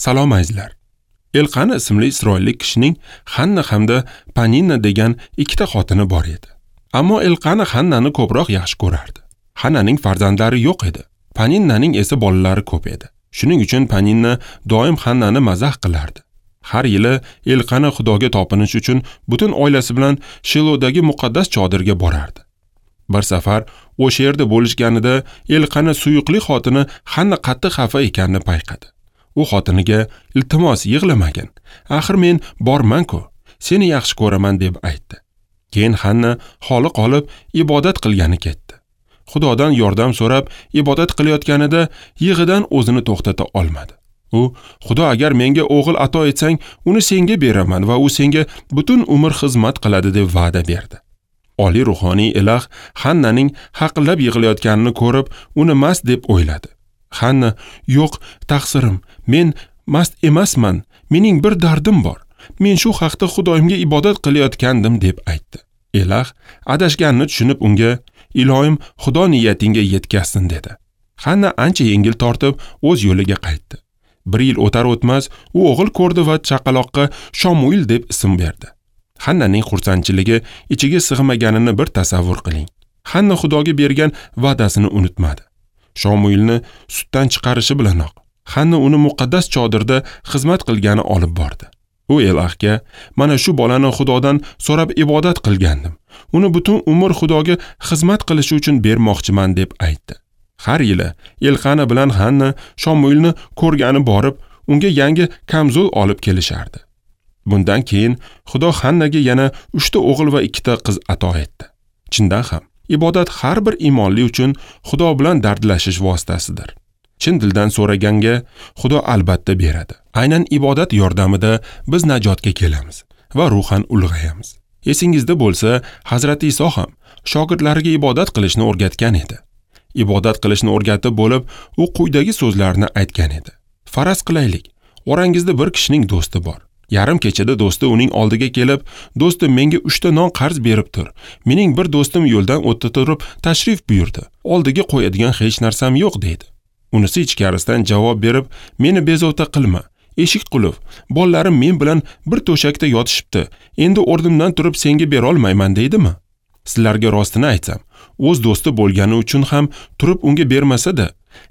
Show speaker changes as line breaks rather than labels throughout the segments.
Salom azizlar. Elqana ismli isroillik kishining Hanna hamda Paninna degan ikkita xotini bor edi. Ammo Elqana Hannani ko'proq yaxshi ko'rardi. Hannaning farzandlari yo'q edi. Paninnaning esa bolalari ko'p edi. Shuning uchun Paninna doim Hannani mazax qilardi. Har yili Elqana Xudoga topinish uchun butun oilasi bilan Shilodagi muqaddas chodirga borardi. Bir safar o'sha yerda bo'lishganida Elqana suyuqli xotini Hanna qattiq xafa ekanini payqadi. U xotiniga: "Iltimos, yig'lamagin. Axir men borman-ku, seni yaxshi ko'raman" deb aytdi. Keyin Hanna holi qolib ibodat qilgani ketdi. Xudodan yordam so'rab ibodat qilayotganida yig'idan o'zini to'xtata olmadi. U: "Xudo, agar menga o'g'il ato etsang, uni senga beraman va u senga butun umr xizmat qiladi" deb va'da berdi. Oliy ruhoniy Elah Hannaning haqillab yig'layotganini ko'rib, uni mast deb o'yladi. Hanna: "Yo'q, taqsirim, men mast emasman, mening bir dardim bor. Men shu haqda Xudoyimga ibodat qilayotgandim" deb aytdi. Elah adashganini tushunib unga: "Iloyim, Xudo niyatingga yetkazsin" dedi. Hanna ancha yengil tortib o'z yo'liga qaytdi. Bir yil o'tar o'tmas u o'g'il ko'rdi va chaqaloqqa Shomuil deb ism berdi. Hannaning xursandchiligi ichiga sig'maganini bir tasavvur qiling. Hanna Xudoga bergan va'dasini unutmadi. Shomuilni sutdan chiqarishi bilanoq Hanna uni muqaddas chodirda xizmat qilgani olib bordi. U Elahga: "Mana shu bolani Xudodan so'rab ibodat qilgandim. Uni butun umr Xudoga xizmat qilishi uchun bermoqchiman" deb aytdi. Har yili Elqana bilan Hanna Shomuilni ko'rgani borib, unga yangi kamzul olib kelishardi. Bundan keyin Xudo Hannaga yana 3 ta o'g'il va 2 ta qiz ato etdi. Chindan ham, ibodat har bir iymonli uchun Xudo bilan dardlashish vositasidir. Chin dildan so'raganga Xudo albatta beradi. Aynan ibodat yordamida biz najotga kelamiz va ruhan ulg'ayamiz. Esingizda bo'lsa, Hazrati Iso ham shogirdlariga ibodat qilishni o'rgatgan edi. Ibodat qilishni o'rgatib bo'lib, u quyidagi so'zlarni aytgan edi: "Faraz qilaylik, orangizda bir kishining do'sti bor. Yarim kechada do'sti uning oldiga kelib, do'stim menga 3 ta non qarz berib tur. Mening bir do'stim yo'ldan o'tda turib tashrif buyurdi. Oldiga qo'yadigan hech narsam yo'q" deydi. Unisi ichkarisidan javob berib, "Meni bezovta qilma. Eshik qulf. Bolalarim men bilan bir to'shakda yotishibdi. Endi o'rnimdan turib senga bera olmayman" deydimi? Sizlarga rostini aytsam, o'z do'sti bo'lgani uchun ham turib unga bermasa-da,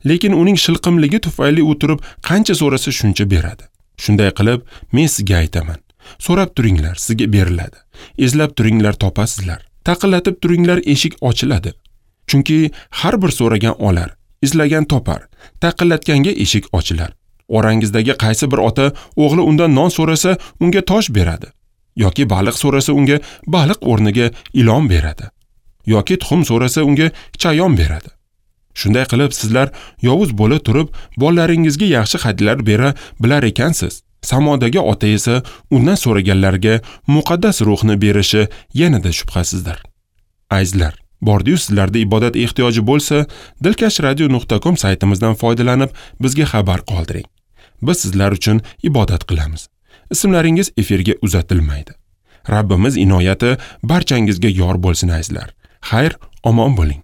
lekin uning shilqimligi tufayli u turib qancha so'rasa shuncha beradi. Shunday qilib, men sizga aytaman. So'rab turinglar, sizga beriladi. Izlab turinglar, topasizlar. Taqillatib turinglar, eshik ochiladi. Chunki har bir so'ragan olar, izlagan topar, taqillatganga eshik ochilar. Orangizdagi qaysi bir ota o'g'li undan non so'rasa, unga tosh beradi, yoki baliq so'rasa, unga baliq o'rniga ilon beradi, yoki tuxum so'rasa, unga chayon beradi. Shunday qilib, sizlar yovuz bo'la turib, bolalaringizga yaxshi hadyalar bera bilar ekansiz. Samodagi ota esa undan so'raganlarga muqaddas ruhni berishi yanada shubhasizdir. Azizlar, bordiyu sizlarda ibodat ehtiyoji bo'lsa, dilkashradio.com saytimizdan foydalanib bizga xabar qoldiring. Biz sizlar uchun ibodat qilamiz. Ismlaringiz efirga uzatilmaydi. Rabbimiz inoyati barchangizga yor bo'lsin azizlar. Xayr, omon bo'ling.